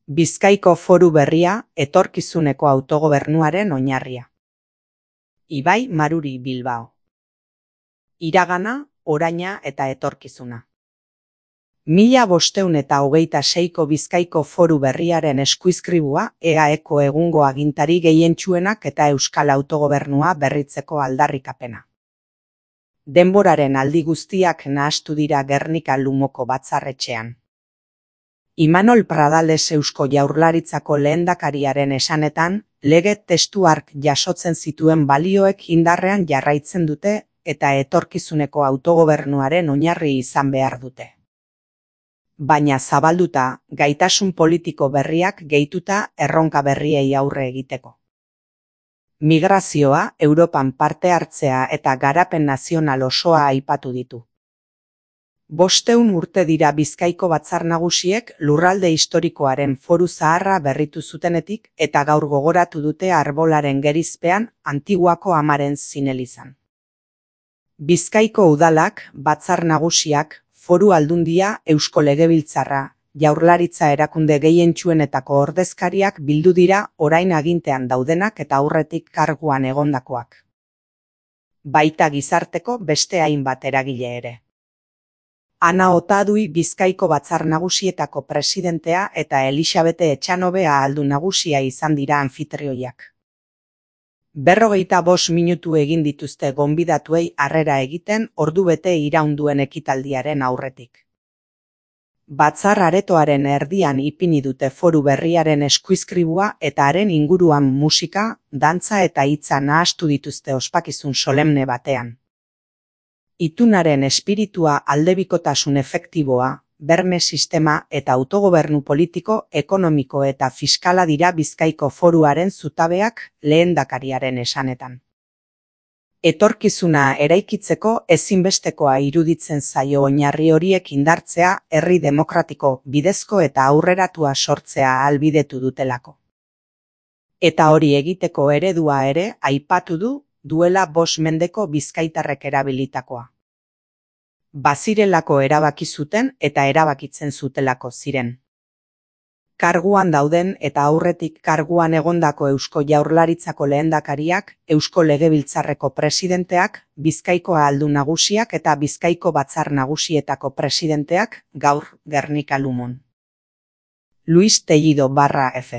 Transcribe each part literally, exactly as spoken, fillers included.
Bizkaiko Foru Berria, etorkizuneko autogobernuaren oinarria. Ibai Maruri Bilbao. Iragana, oraina eta etorkizuna. Mila bosteun eta hogeita seiko Bizkaiko Foru Berriaren eskuizkribua E A Eko egungo agintari gehientsuenak eta euskal autogobernua berritzeko aldarrikapena. Denboraren aldi guztiak nahastu dira Gernika Lumoko batzarretxean. Imanol Pradales Eusko Jaurlaritzako lehendakariaren esanetan, lege testu hark jasotzen zituen balioek indarrean jarraitzen dute eta etorkizuneko autogobernuaren oinarri izan behar dute. Baina zabalduta, gaitasun politiko berriak gehituta erronka berriei aurre egiteko. Migrazioa, Europan parte hartzea eta garapen nazional osoa aipatu ditu. Bosteun urte dira Bizkaiko batzar nagusiek lurralde historikoaren foru zaharra berritu zutenetik eta gaur gogoratu dute arbolaren gerizpean Antiguako amaren zinelizan. Bizkaiko udalak, batzar nagusiak, foru aldundia, Eusko Legebiltzarra, Jaurlaritza erakunde gehientsuenetako ordezkariak bildu dira orain agintean daudenak eta aurretik karguan egondakoak. Baita gizarteko beste hainbat eragile ere. Ana Otadui Bizkaiko batzar nagusietako presidentea eta Elisabete Etxanobe ahaldun nagusia izan dira anfitrioiak. Berrogeita bost minutu egin dituzte gonbidatuei harrera egiten ordubete iraunduen ekitaldiaren aurretik. Batzar aretoaren erdian ipini dute Foru Berriaren eskuizkribua eta haren inguruan musika, dantza eta hitza nahastu dituzte ospakizun solemne batean. Itunaren espiritua aldebikotasun efektiboa, berme sistema eta autogobernu politiko, ekonomiko eta fiskala dira Bizkaiko foruaren zutabeak lehendakariaren esanetan. Etorkizuna eraikitzeko ezinbestekoa iruditzen zaio oinarri horiek indartzea herri demokratiko, bidezko eta aurreratua sortzea ahalbidetu dutelako. Eta hori egiteko eredua ere aipatu du duela bost mendeko bizkaitarrek erabilitakoa. Bazirelako erabaki zuten eta erabakitzen zutelako ziren. Karguan dauden eta aurretik karguan egondako Eusko Jaurlaritzako lehendakariak, Eusko Legebiltzarreko presidenteak, Bizkaiko ahaldun nagusiak eta Bizkaiko batzar nagusietako presidenteak gaur Gernika Lumon. Luis Tellido barra F.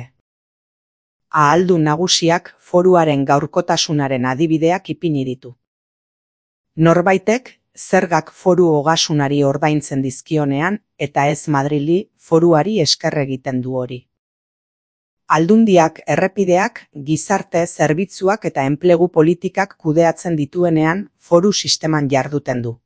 Ahaldun nagusiak foruaren gaurkotasunaren adibideak ipini ditu. Norbaitek, zergak foru ogasunari ordaintzen dizkionean eta ez Madrili foruari esker egiten du hori. Aldundiak, errepideak, gizarte zerbitzuak eta enplegu politikak kudeatzen dituenean foru sisteman jarduten du.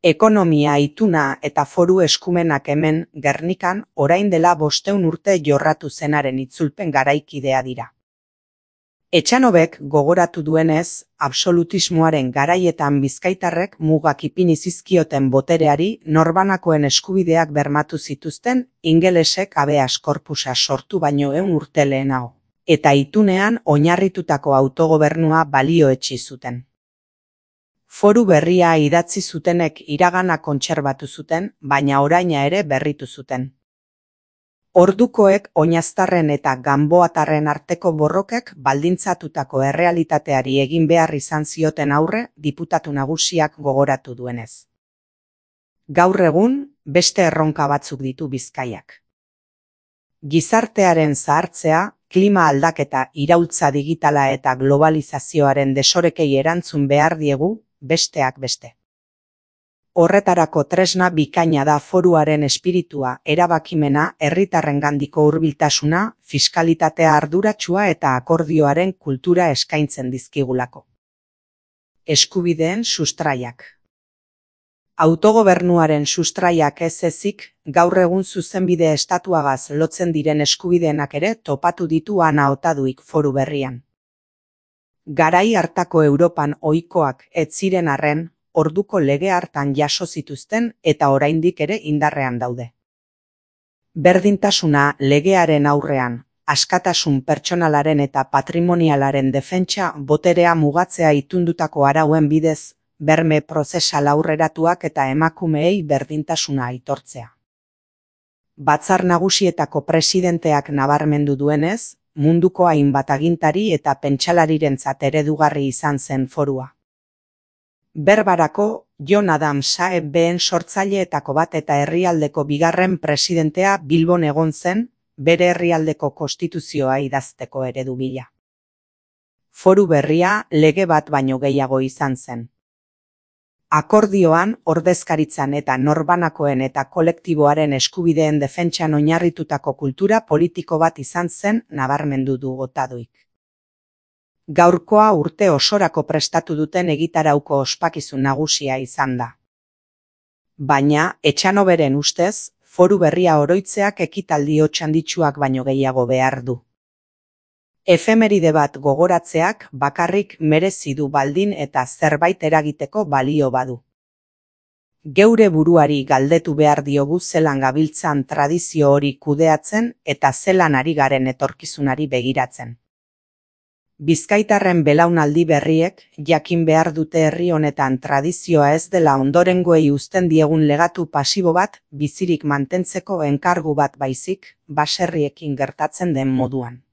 Ekonomia ituna eta foru eskumenak hemen Gernikan orain dela bosteun urte jorratu zenaren itzulpen garaikidea dira. Etxanobek gogoratu duenez, absolutismoaren garaietan bizkaitarrek mugak ipini zizkioten botereari norbanakoen eskubideak bermatu zituzten ingelesek habeas corpusa sortu baino ehun urte lehenago, eta itunean oinarritutako autogobernua balioetsi zuten. Foru Berria idatzi zutenek iragana kontserbatu zuten, baina oraina ere berritu zuten. Ordukoek oinaztarren eta ganboatarren arteko borrokek baldintzatutako errealitateari egin behar izan zioten aurre diputatu nagusiak gogoratu duenez. Gaur egun, beste erronka batzuk ditu Bizkaiak. Gizartearen zahartzea, klima aldaketa, iraultza digitala eta globalizazioaren desorekei erantzun behar diegu, besteak beste. Horretarako tresna bikaina da foruaren espiritua, erabakimena, herritarrengandiko hurbiltasuna, fiskalitatea arduratsua eta akordioaren kultura eskaintzen dizkigulako. Eskubideen sustraiak. Autogobernuaren sustraiak ez ezik, gaur egun zuzenbide estatuagaz lotzen diren eskubideenak ere topatu ditu Ana Otaduik Foru Berrian. Garai hartako Europan ohikoak ez ziren arren, orduko lege hartan jaso zituzten eta oraindik ere indarrean daude. Berdintasuna legearen aurrean, askatasun pertsonalaren eta patrimonialaren defentsa boterea mugatzea itundutako arauen bidez, berme prozesal aurreratuak eta emakumeei berdintasuna aitortzea. Batzar Nagusietako presidenteak nabarmendu duenez, munduko hainbat agintari eta pentsalarirentzat eredugarri izan zen forua. Berbarako, John Adams A E B-en sortzaileetako bat eta herrialdeko bigarren presidentea Bilbon egon zen, bere herrialdeko konstituzioa idazteko eredu bila. Foru berria lege bat baino gehiago izan zen. Akordioan, ordezkaritzan eta norbanakoen eta kolektiboaren eskubideen defentsan oinarritutako kultura politiko bat izan zen nabarmendu du Otaduik. Gaurkoa urte osorako prestatu duten egitarauko ospakizun nagusia izan da. Baina, Etxanoberen ustez, foru berria oroitzeak ekitaldi hotsanditsuak baino gehiago behar du. Efemeride bat gogoratzeak bakarrik merezi du baldin eta zerbait eragiteko balio badu. Geure buruari galdetu behar diogu zelan gabiltzan tradizio hori kudeatzen eta zelan ari garen etorkizunari begiratzen. Bizkaitarren belaunaldi berriek jakin behar dute herri honetan tradizioa ez dela ondorengoei uzten diegun legatu pasibo bat bizirik mantentzeko enkargu bat baizik, baserriekin gertatzen den moduan.